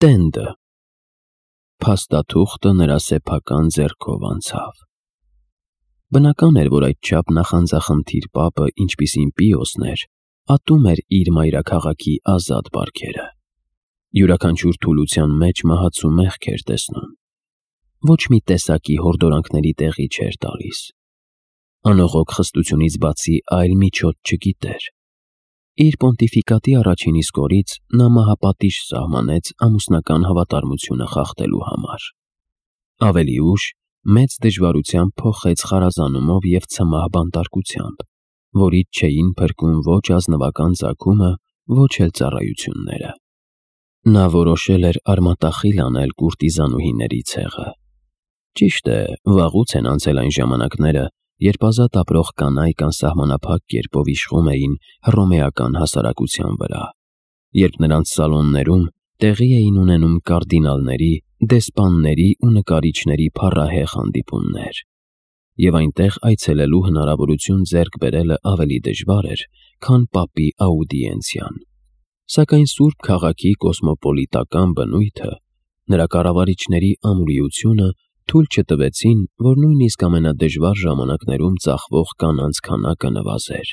Տենդը։ Փաստաթուղթը նրա սեփական ձեռքով անցավ։ Բնական էր, որ այդչափ նախանձախնդիր պապը, ինչպիսին Պիոսն էր, ատում էր իր մայրաքաղաքի ազատ բարքերը։ Յուրաքանչյուր թուլության մեջ մահացու մեղք էր տեսնում։ Ոչ մի տեսակի հորդորանքների տեղի չէր տալիս։ Անողոք խստությունից բացի այլ միջոց չգիտեր։ Իր պոնտիֆիկատի առաջին իսկ օրից նա մահապատիժ սահմանեց ամուսնական հավատարմությունը խախտելու համար։ Ավելի ուշ մեծ դժվարությամբ փոխեց խարազանումով և ցմահ բանտարկությամբ, որից չէին փրկում ոչ ազնվական ծագումը, ոչ էլ ծառայությունները։ Նա որոշել էր արմատախիլ անել կուրտիզանուհիների ցեղը։ Ճիշտ է, վաղուց են անցել այն ժամանակները, երբ ազատ ապրող կանայք անսահմանափակ կերպով իշխում էին հռոմեական հասարակության վրա, երբ նրանց սալոններում տեղի էին ունենում կարդինալների, դեսպանների ու նկարիչների փառահեղ հանդիպումներ, և այնտեղ այցելելու հնարավորություն ձեռք բերելը ավելի դժվար էր, քան պապի աուդիենցիան։ Սակայն Սուրբ քաղաքի կոսմոպոլիտական բնույթը, նրա կառավարիչների ամուրիությունը թույլ չտվեցին, որ նույնիսկ ամենադժվար ժամանակներում ծախվող կանանց քանակը նվազեր։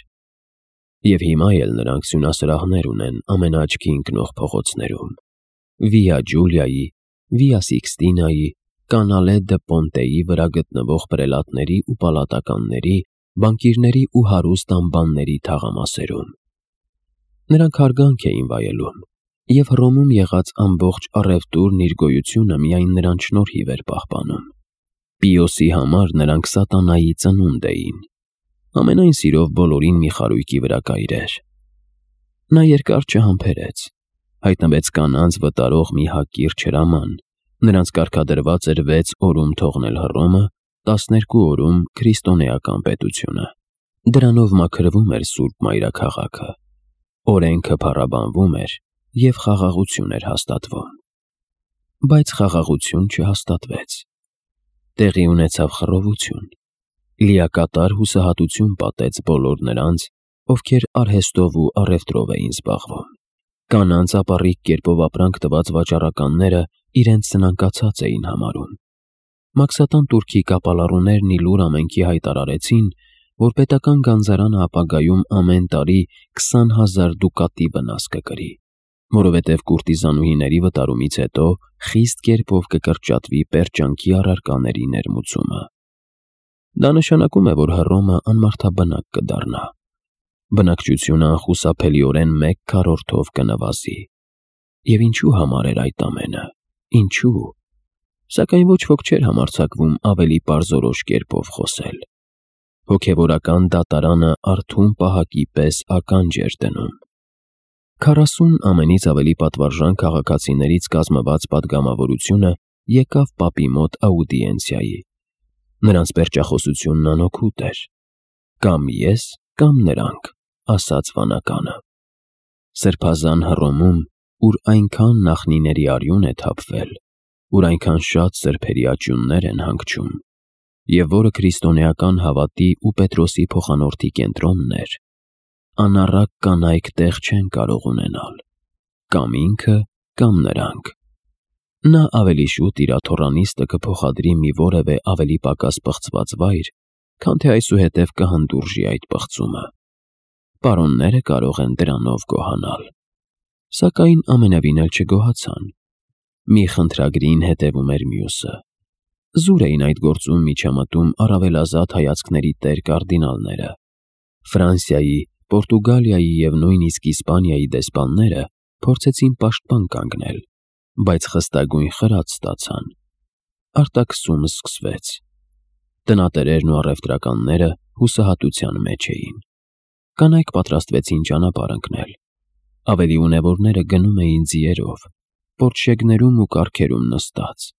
Եվ հիմա էլ նրանք սյունասրահներ ունեն ամենաաչքի ընկնող փողոցներում՝ Վիա Ջուլիայի, Վիա Սիքստինայի, Կանալե դը Պոնտեի վրա գտնվող պրելատների ու պալատականների, բանկիրների ու հարուստ անբանների թաղամասերում։ Նրանք հարգանք էին վայելում, և Հռոմում եղած ամբողջ առևտուրն իր գոյությունը միայն նրանց շնորհիվ էր պահպանում։ Պիոսի համար նրանք սատանայի ծնունդ էին։ Ամենայն սիրով բոլորին մի խարույկի վրա կայրեր։ Նա երկար չհամբերեց։ Հայտնվեց կանանց վտարող մի հակիրճ հրաման, նրանց կարգադրված էր 6 օրում թողնել Հռոմը, 12 օրում քրիստոնեական պետությունը։ Դրանով մաքրվում էր Սուրբ Մայրաքաղաքը։ Օրենքը փառաբանվում էր և խաղաղություն էր հաստատվում։ Բայց խաղաղություն չհաստատվեց։ Տեղի ունեցավ խռովություն։ Լիակատար հուսահատություն պատեց բոլոր նրանց, ովքեր արհեստով ու առևտրով էին զբաղվում։ Կանանց ապառիկ կերպով ապրանք տված վաճառականները իրենց սնանկացած էին համարում։ Մաքսատան տուրքի կապալառուներն ի լուր ամենքի հայտարարեցին, որ պետական գանձարանը ապագայում ամեն տարի 20,000 դուկատի վնաս կկրի, որովհետև կուրտիզանուհիների վտարումից հետո խիստ կերպով կկրճատվի պերճանքի առարկաների ներմուծումը։ Դա նշանակում է, որ Հռոմը անմարդաբնակ կդառնա։ Բնակչությունը անխուսափելիորեն 1/4-ով կնվազի։ Եվ ինչու համար էր այդ ամենը։ Ինչու։ Սակայն ոչ ոք չէր համարձակվում ավելի պարզորոշ կերպով խոսել։ Հոգևորական դատարանը արթուն պահակի պես ականջ էր դնում։ 40 ամենից ավելի պատվարժան քաղաքացիներից կազմված պատգամավորությունը եկավ պապի մոտ աուդիենցիայի։ Նրանց պերճախոսությունն անօգուտ էր։ Կամ ես, կամ նրանք, ասաց վանականը։ Սրբազան Հռոմում, ուր այնքան նախնիների արյուն է թափվել, ուր այնքան շատ սրբերի աճյուններ են հանգչում, և որը քրիստոնեական հավատի ու Պետրոսի փոխանորդի կենտրոնն էր, անառակ կանայք տեղ չեն կարող ունենալ։ Կամ ինքը, կամ նրանք։ Նա ավելի շուտ իր աթոռանիստը կփոխադրի մի որևէ ավելի պակաս պղծված վայր, քան թե այսուհետև կհանդուրժի այդ պղծումը։ Պարոնները կարող են դրանով գոհանալ։ Սակայն ամենևին էլ չգոհացան։ Մի խնդրագրին հետևում էր մյուսը։ Զուր էին այդ գործում միջամտում առավելազատ հայացքների տեր կարդինալները։ Ֆրանսիայի, Պորտուգալիայի և նույնիսկ Իսպանիայի դեսպանները փորձեցին պաշտպան կանգնել, բայց խստագույն խրատ ստացան։ Արտաքսումը սկսվեց։ Տնատերերն ու առևտրականները հուսահատության մեջ էին։ Կանայք պատրաստվեցին ճանապարհ ընկնել։ Ավելի ունևորները գնում էին ձիերով, պորտշեգներում ու կառքերում նստած։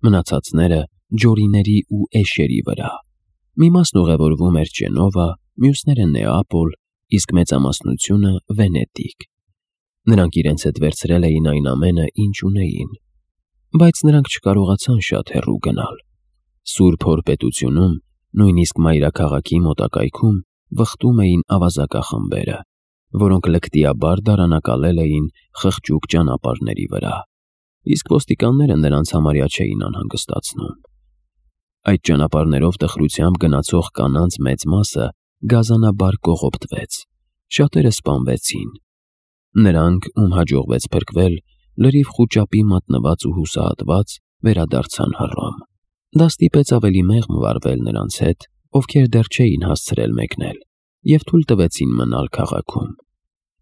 Մնացածները ջորիների ու էշերի վրա։ Մի մասն ուղևորվում էր Ջենովա, մյուսները Նեապոլ, իսկ մեծամասնությունը Վենետիկ։ Նրանք իրենց հետ վերցրել էին այն ամենը, ինչ ունեին։ Բայց նրանք չկարողացան շատ հեռու գնալ։ Սուրբ Հոր պետությունում, նույնիսկ մայրաքաղաքի մոտակայքում, վխտում էին ավազակախմբերը, որոնք լկտիաբար դարանակալել էին խղճուկ ճանապարհների վրա։ իսկ ոստիկանները նրանց համարյա չէին անհանգստացնում։ Այդ ճանապարհներով տխրությամբ գնացող կանանց մեծ մասը գազանաբար կողոպտվեց, շատերը սպանվեցին։ Նրանք, ում հաջողվեց փրկվել, լրիվ խուճապի մատնված ու հուսահատված, վերադարձան Հռոմ։ Դա ստիպեց ավելի մեղմ վարվել նրանց հետ, ովքեր դեռ չէին հասցրել մեկնել, և թույլ տվեցին մնալ քաղաքում։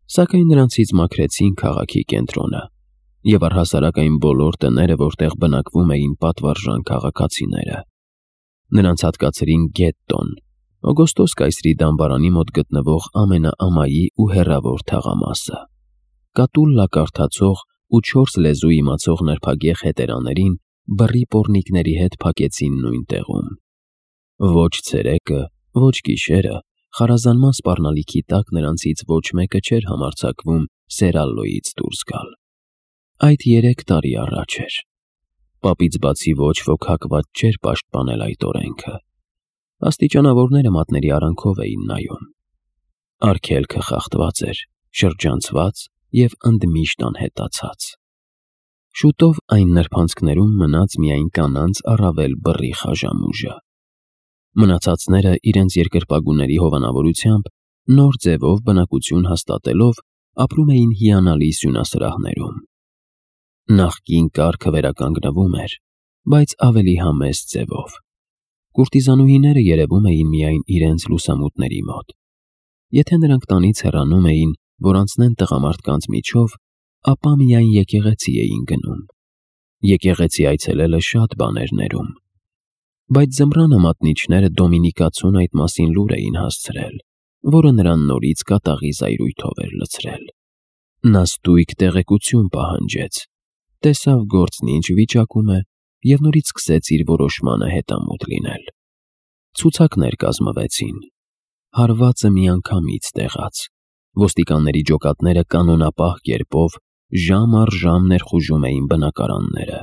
Սակայն նրանցից մաքրեցին քաղաքի կենտրոնը և առհասարակ այն բոլոր տները, որտեղ բնակվում էին պատվարժան քաղաքացիները։ Նրանց հատկացրին գետտոն, Օգոստոս կայսրի դամբարանի մոտ գտնվող ամենաամայի ու հեռավոր թաղամասը։ Կատուլլա կարդացող ու 4 լեզու իմացող նրբագեղ հետերաներին բռի պոռնիկների հետ փակեցին նույն տեղում։ Ոչ ցերեկը, ոչ գիշերը խարազանման սպառնալիքի տակ նրանցից ոչ մեկը չէր համարձակվում Սերալլոյից դուրս գալ։ Այդ 3 տարի առաջ էր։ Պապից բացի ոչ ոք հակված չէր պաշտպանել այդ օրենքը։ Աստիճանավորները մատների արանքով էին նայում։ Արգելքը խախտված էր, շրջանցված և ընդմիշտ անհետացած։ Շուտով այն նրբանցքներում մնաց միայն կանանց առավել բռի խաժամուժը։ Մնացածները իրենց երկրպագուների հովանավորությամբ նոր ձևով բնակություն հաստատելով ապրում էին հիանալի սյունասրահներում։ Նախկին կարգը վերականգնվում էր, բայց ավելի համեստ ձևով։ Կուրտիզանուհիները երևում էին միայն իրենց լուսամուտների մոտ։ Եթե նրանք տանից հեռանում էին, որ անցնեն տղամարդկանց միջով, ապա միայն եկեղեցի էին գնում։ Եկեղեցի այցելելը շատ բան էր ներում։ Բայց ձմռանը մատնիչները Դոմինիկացուն այդ մասին լուր էին հասցրել, որը նրան նորից կատաղի զայրույթով էր լցրել։ Նա ստույգ տեղեկություն պահանջեց, տեսավ գործն ինչ վիճակում է և նորից սկսեց իր որոշմանը հետամուտ լինել։ Ցուցակներ կազմվեցին։ Հարվածը միանգամից տեղաց։ Ոստիկանների ջոկատները կանոնապահ կերպով ժամ առ ժամ ներխուժում էին բնակարանները,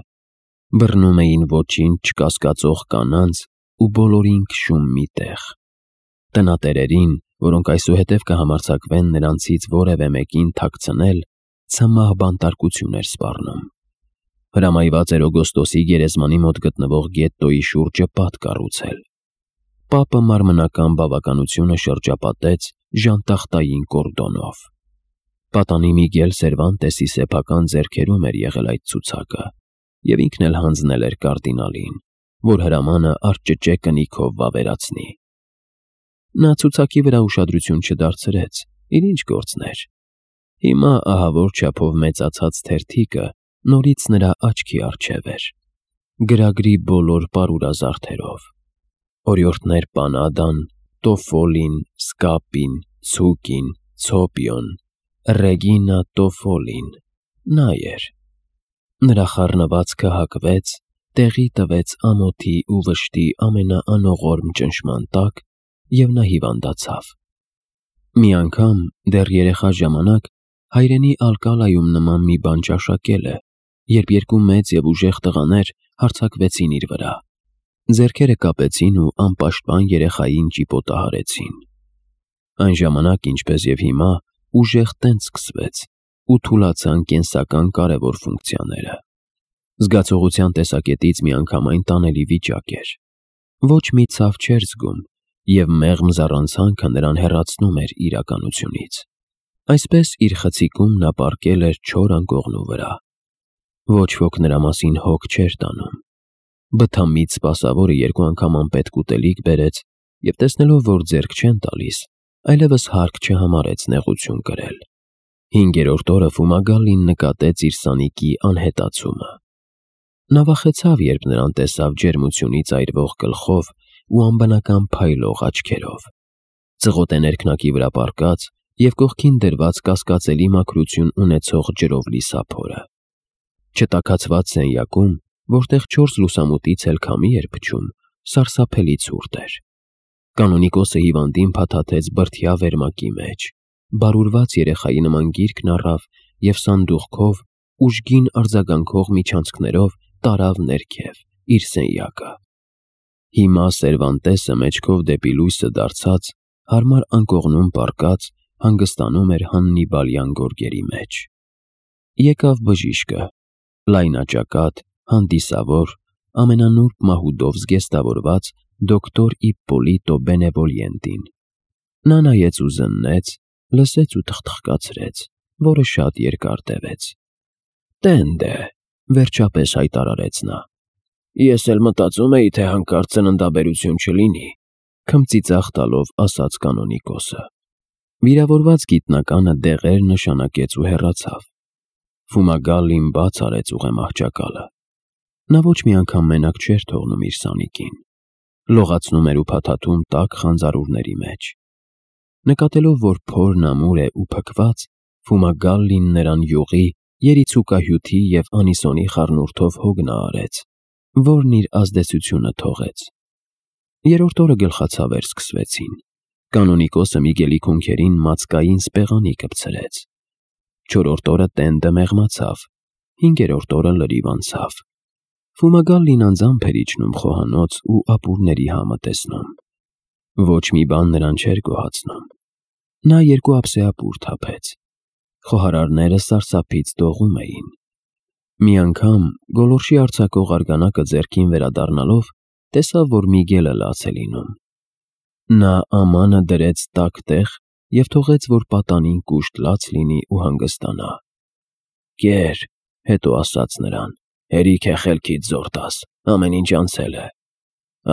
բռնում էին ոչինչ չկասկածող կանանց ու բոլորին քշում մի տեղ։ Տնատերերին, որոնք այսուհետև կհամարձակվեն նրանցից որևէ մեկին թաքցնել, ցմահ բանտարկություն էր սպառնում։ Հրամայված էր Օգոստոսի գերեզմանի մոտ գտնվող գետտոյի շուրջը պատ կառուցել։ Պապը մարմնական բավականությունը շրջապատեց ժանտախտային կորդոնով։ Պատանի Միգել Սերվանտեսի սեփական ձեռքերում էր եղել այդ ցուցակը, և ինքն էլ հանձնել էր կարդինալին, որ հրամանը արճճե կնիքով վավերացնի։ Նա ցուցակի վրա ուշադրություն չդարձրեց, իր ինչ գործն էր։ Հիմա ահավոր չափով մեծացած թերթիկը նորից նրա աչքի առջև էր, գրագրի բոլոր պարուրազարդերով։ Օրիորդներ Պանադան, Տոֆոլին, Սկապին, Ցուկին, Ցոպիոն, Ռեգինա Տոֆոլին, նա էր։ Նրա խառնվածքը հակվեց, տեղի տվեց ամոթի ու վշտի ամենաանողորմ ճնշման տակ, և նա հիվանդացավ։ Մի անգամ, դեռ երեխա ժամանակ, հայրենի Ալկալայում նման մի բան ճաշակել է, երբ 2 մեծ և ուժեղ տղաներ հարձակվեցին իր վրա։ Ձեռքերը կապեցին ու անպաշտպան երեխային ճիպոտահարեցին։ Այն ժամանակ, ինչպես և հիմա, ուժեղ տենց սկսվեց ու թուլացան կենսական կարևոր ֆունկցիաները։ Զգացողության տեսակետից միանգամայն տանելի վիճակ էր։ Ոչ մի ցավ չէր զգում, և մեղմ զառանցանքը նրան հեռացնում էր իրականությունից։ Այսպես իր խցիկում նա պառկել էր չոր անկողնու վրա։ Ոչ ոք նրա մասին հոգ չէր տանում։ Բթամիտ սպասավորը 2 անգամ անպետք ուտելիք բերեց և, տեսնելով, որ ձեռք չեն տալիս, այլևս հարկ չհամարեց նեղություն կրել։ 5-րդ օրը Ֆումագալին նկատեց իր սանիկի անհետացումը։ Նա վախեցավ, երբ նրան տեսավ ջերմությունից այրվող գլխով ու անբնական փայլող աչքերով։ Ծղոտ է ներքնակի վրա պառկած և կողքին դրված կասկածելի մաքրություն ունեցող ջրով լի սափորը։ Չտաքացված սենյակում, որտեղ 4 լուսամուտից էլ քամի էր փչում, սարսափելի ցուրտ էր։ Կանոնիկոսը հիվանդին փաթաթեց բրդյա վերմակի մեջ, բարուրված երեխայի նման գիրկն առավ և սանդուղքով, ուժգին արձագանքող միջանցքներով տարավ ներքև, իր սենյակը։ Հիմա Սերվանտեսը մեջքով դեպի լույսը դարձած, հարմար անկողնում պառկած, հանգստանում էր Հաննիբալյան գորգերի մեջ։ Եկավ բժիշկը, լայնաճակատ, հանդիսավոր, ամենանուրբ մահուդով զգեստավորված դոկտոր Իպպոլիտո Բենևոլիենտին։ Նա նայեց ու զննեց, լսեց ու թխթխկացրեց, որը շատ երկար տևեց։ «Տենդ է», վերջապես հայտարարեց նա։ «Ես էլ մտածում էի, թե հանկարծ ծննդաբերություն չլինի», քմծիծաղ տալով ասաց կանոնիկոսը։ Վիրավորված գիտնականը դեղեր նշանակեց ու հեռացավ։ Ֆումագալին բաց արեց ուղեմահճակալը։ Նա ոչ մի անգամ մենակ չէր թողնում իր սանիկին։ Լողացնում էր ու փաթաթում տաք խանձարուրների մեջ։ Նկատելով, որ փորն ամուր է ու փքված, Ֆումագալին նրան յուղի, երիցուկահյութի և անիսոնի խառնուրդով հոգնա արեց, որն իր ազդեցությունը թողեց։ Երրորդ օրը գլխացավեր սկսվեցին։ Կանոնիկոսը Միգելի քունքերին մածկային սպեղանի կպցրեց։ Չորրորդ օրը տենդը մեղմացավ, հինգերորդ օրը լրիվ անցավ։ Ֆումագալին անձամբ էր իջնում խոհանոց ու ապուրների համը տեսնում։ Ոչ մի բան նրան չէր գոհացնում։ Նա 2 ափսե ապուր թափեց։ Խոհարարները սարսափից դողում էին։ Մի անգամ գոլորշի արձակող արգանակը ձեռքին վերադառնալով, տեսավ, որ Միգելը լաց է լինում։ Նա ամանը դրեց տաք տեղ և թողեց, որ պատանին կուշտ լաց լինի ու հանգստանա։ «Կեր», հետո ասաց նրան, «հերիք է խելքիդ զոր տաս, ամեն ինչ անցել է։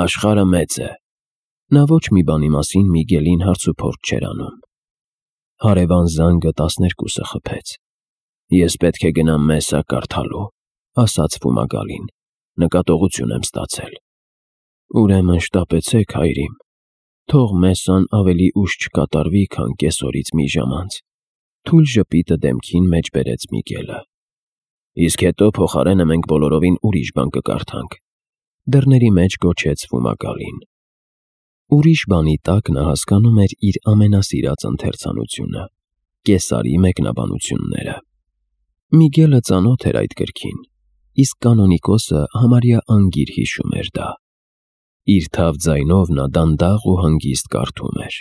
Աշխարհը մեծ է»։ Նա ոչ մի բանի մասին Միգելին հարցուփորձ չէր անում։ Հարևան զանգը 12-ը խփեց։ «Ես պետք է գնամ մեսա կարդալու», ասաց Ֆումագալին, «նկատողություն եմ ստացել»։ «Ուրեմն շտապեցեք, հայրիմ, թող մեսան ավելի ուշ չկատարվի, քան կեսօրից մի ժամ անց», թույլ ժպիտը դեմքին մեջ բերեց Միգելը։ «Իսկ հետո փոխարենը մենք բոլորովին ուրիշ բան կկարդանք», դռների մեջ գոչեց Ֆումագալին։ Ուրիշ բանի տակ նա հասկանում էր իր ամենասիրած ընթերցանությունը՝ Կեսարի մեկնաբանությունները։ Միգելը ծանոթ էր այդ գրքին, իսկ կանոնիկոսը համարյա անգիր հիշում էր դա։ Իր թավ ձայնով նա դանդաղ ու հանգիստ կարդում էր։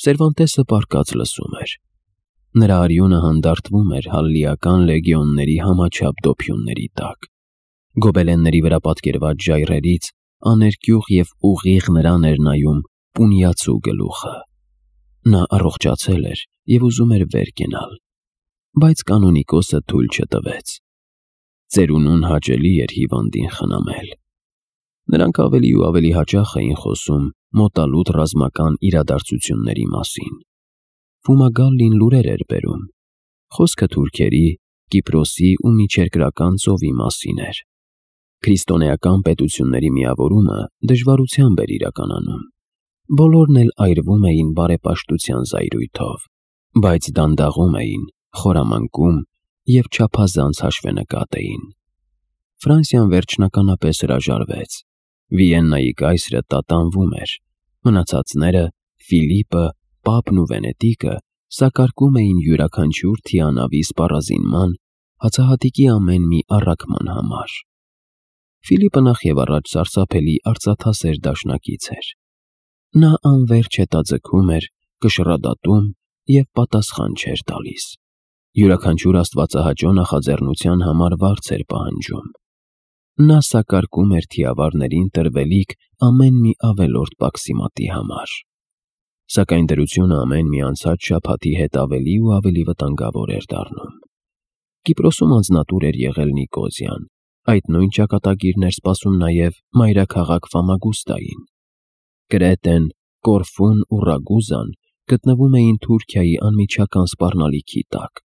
Սերվանտեսը պառկած լսում էր։ Նրա արյունը հանդարտվում էր հալլիական լեգիոնների համաչափ դոփյունների տակ։ Գոբելենների վրա պատկերված ժայռերից աներկյուղ և ուղիղ նրան էր նայում Պունյացու գլուխը։ Նա առողջացել էր և ուզում էր վեր կենալ, բայց կանոնիկոսը թույլ չտվեց։ Ծերունուն հաճելի էր հիվանդին խնամել։ Նրանք ավելի ու ավելի հաճախ էին խոսում մոտալուտ ռազմական իրադարձությունների մասին։ Ֆումագալին լուրեր էր բերում։ Խոսքը թուրքերի, Կիպրոսի ու Միջերկրական ծովի մասին էր։ Քրիստոնեական պետությունների միավորումը դժվարությամբ էր իրականանում։ Բոլորն էլ այրվում էին բարեպաշտության զայրույթով, բայց դանդաղում էին, խորամանկում և չափազանց հաշվենկատ էին։ Ֆրանսիան վերջնականապես հրաժարվեց։ Վիեննայի կայսրը տատանվում էր։ Մնացածները՝ Ֆիլիպը, Պապն ու Վենետիկը, սակարկում էին յուրաքանչյուր թիանավի սպառազինման, հացահատիկի ամեն մի առաքման համար։ Ֆիլիպը նախևառաջ սարսափելի արծաթասեր դաշնակից էր։ Նա անվերջ հետաձգում էր, կշռադատում և պատասխան չէր տալիս։ Յուրաքանչյուր աստվածահաճո նախաձեռնության համար վարձ էր պահանջում։ Նա սակարկում էր թիավարներին տրվելիք ամեն մի ավելորդ պաքսիմատի համար։ Սակայն դրությունը ամեն մի անցած շաբաթի հետ ավելի ու ավելի վտանգավոր էր դառնում։ Կիպրոսում անձնատուր էր եղել Նիկոզիան, այդ նույն ճակատագիրն էր սպասում նաև մայրաքաղաք Ֆամագուստային։ Կրետեն, Կորֆուն ու Ռագուզան գտնվում էին Թուրքիայի անմիջական սպառնալիքի տակ։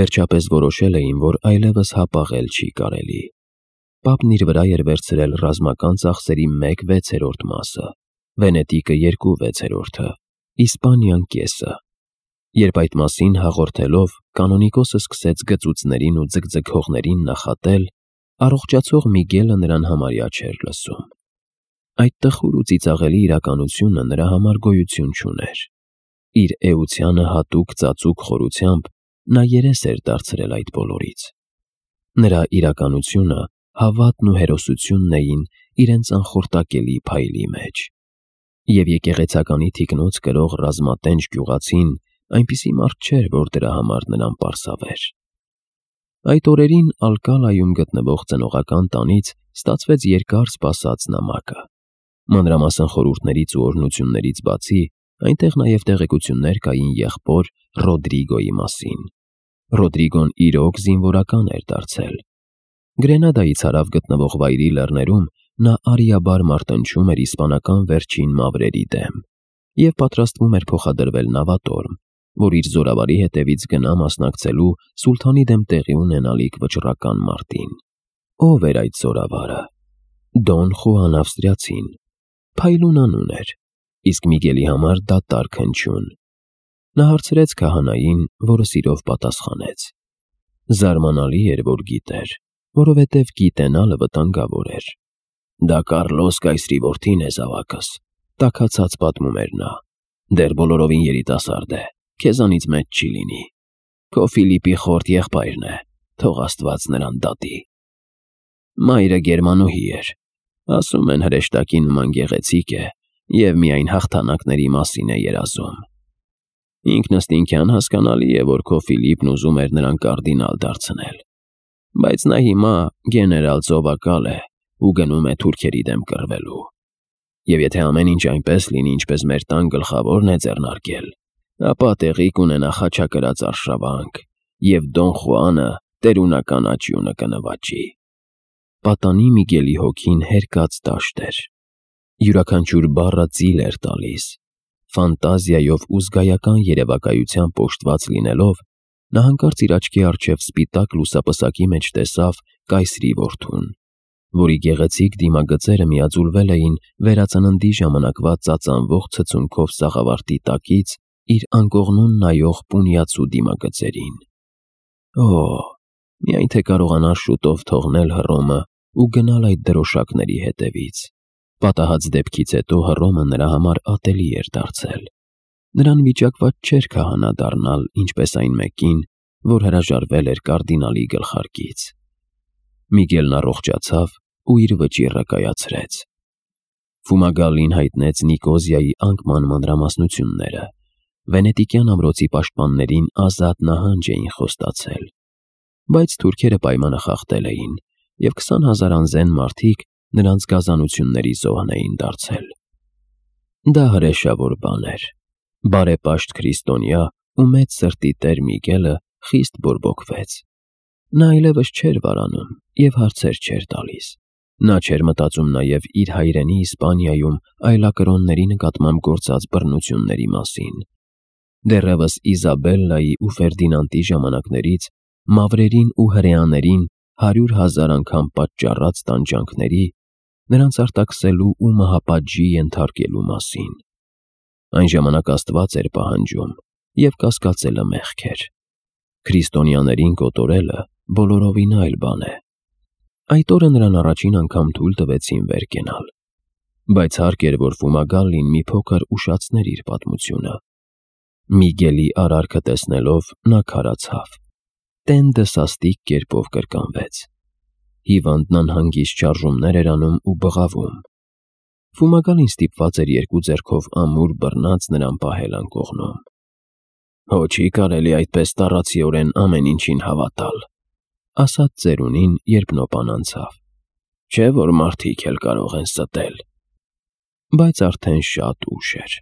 Վերջապես որոշել էին, որ այլևս հապաղել չի կարելի։ Պապն իր վրա էր վերցրել ռազմական ծախսերի 1/6 մասը, Վենետիկը 2/6, Իսպանիան կեսը։ Երբ այդ մասին հաղորդելով կանոնիկոսը սկսեց գծուծներին ու ձգձգողներին նախատել, առողջացող Միգելը նրան համարյա չէր լսում։ Այդ տխուր ու ծիծաղելի իրականությունը նրա համար գոյություն չուներ։ Իր էությանը հատուկ ծածուկ խորությամբ նա երես էր դարձրել այդ բոլորից։ Նրա իրականությունը, հավատն ու հերոսությունն էին իրենց անխորտակելի փայլի մեջ։ Եվ եկեղեցականի թիկնոց կրող ռազմատենչ գյուղացին այնպիսի մարդ չէր, որ դրա համար նրան պարսավեր։ Այդ օրերին Ալկալայում գտնվող ծնողական տանից ստացվեց երկար սպասած նամակը։ Մանրամասն խորհուրդներից ու օրհնություններից բացի, այնտեղ նաև տեղեկություններ կային եղբոր Ռոդրիգոյի մասին։ Ռոդրիգոն իրոք զինվորական էր դարձել։ Գրենադայից հարավ գտնվող վայրի լեռներում նա արիաբար մարտնչում էր իսպանական վերջին մավրերի դեմ և պատրաստվում էր փոխադրվել նավատորմ, որ իր զորավարի հետևից գնա մասնակցելու սուլթանի դեմ տեղի ունենալիք վճռական մարտին։ Ով էր այդ զորավարը։ Դոն Խուան Ավստրիացին։ Փայլուն անուն էր, իսկ Միգելի համար դատարկ հնչյուն։ Նա հարցրեց քահանային, որը սիրով պատասխանեց։ Զարմանալի էր, որ գիտեր, որովհետև գիտենալը վտանգավոր էր։ Դա Կարլոս կայսրի որդին է, զավակս, տաքացած պատմում էր նա։ Դեռ բոլորովին երիտասարդ է, քեզանից մեծ չի լինի։ Քո Ֆիլիպի խորտ եղբայրն է, թող Աստված նրան դատի։ Մայրը գերմանուհի էր, ասում են հրեշտակի նման գեղեցիկ է և միայն հաղթանակների մասին է երազում։ Ինքնըստինքյան հասկանալի է, որ քո Ֆիլիպն ուզում էր նրան կարդինալ դարձնել, բայց նա հիմա գեներալ ծովակալ է ու գնում է թուրքերի դեմ կռվելու։ Եվ եթե ամեն ինչ այնպես լինի, ինչպես մեր տան գլխավորն է ձեռնարկել, ապա տեղի կունենա խաչակրաց արշավանք, և Դոն Խուանը տերունական աճյունը կնվաճի։ Պատանի Միգելի հոգին հերկած դաշտ էր։ Յուրաքանչյուր բառը ծիլ էր տալիս։ Ֆանտազիայով ու զգայական երևակայությամբ պոշտված լինելով, նա հանկարծ իր աչքի առջև սպիտակ լուսապսակի մեջ տեսավ կայսրի որդուն, որի գեղեցիկ դիմագծերը միաձուլվել էին վերածննդի ժամանակվա ծածանվող ցցունքով սաղավարտի տակից իր անկողնուն նայող պունյացու դիմագծերին։ Օ՜, միայն թե կարողանար շուտով թողնել Հռոմը ու գնալ այդ դրոշակների հետևից։ Պատահած դեպքից հետո Հռոմը նրա համար ատելի էր դարձել։ Նրան վիճակված չէր քահանա դառնալ, ինչպես այն մեկին, որ հրաժարվել էր կարդինալի գլխարկից։ Միգելն առողջացավ ու իր վճիռը կայացրեց։ Ֆումագալին հայտնեց Նիկոզիայի անկման մանրամասնությունները։ Վենետիկյան ամրոցի պաշտպաններին ազատ նահանջ էին խոստացել։ Բայց թուրքերը պայմանը խախտել էին, և 20,000 անզեն մարդիկ նրանց գազանությունների զոհն էին դարձել։ Դա հրեշավոր բան էր։ Բարեպաշտ քրիստոնյա ու մեծ սրտի տեր Միգելը խիստ բորբոքվեց։ Նա այլևս չէր վարանում և հարցեր չէր տալիս։ Նա չէր մտածում նաև իր հայրենի Իսպանիայում այլակրոնների նկատմամբ գործած բռնությունների մասին։ Դեռևս Իզաբելլայի ու Ֆերդինանդի ժամանակներից մավրերին ու հրեաներին 100,000 անգամ պատճառած տանջանքների, նրանց արտաքսելու ու մահապատժի ենթարկելու մասին։ Այն ժամանակ Աստված էր պահանջում, և կասկածելը մեղք էր։ Քրիստոնյաներին կոտորելը բոլորովին այլ բան է։ Այդ օրը նրան առաջին անգամ թույլ տվեցին վեր կենալ։ Բայց հարկ էր, որ Ֆումագալին մի փոքր ուշացներ իր պատմությունը։ Միգելի արարքը տեսնելով նա քարացավ։ Տենդը սաստիկ կերպով կրկնվեց։ Հիվանդն անհանգիստ շարժումներ էր անում ու բղավում։ Ֆումագալին ստիպված էր երկու ձեռքով ամուր բռնած նրան պահել անկողնում։ «Հո չի կարելի այդպես տառացիորեն ամեն ինչին հավատալ», ասաց ծերունին, երբ նոպան անցավ։ «Չէ՞ որ մարդիկ էլ կարող են ստել»։ Բայց արդեն շատ ուշ էր։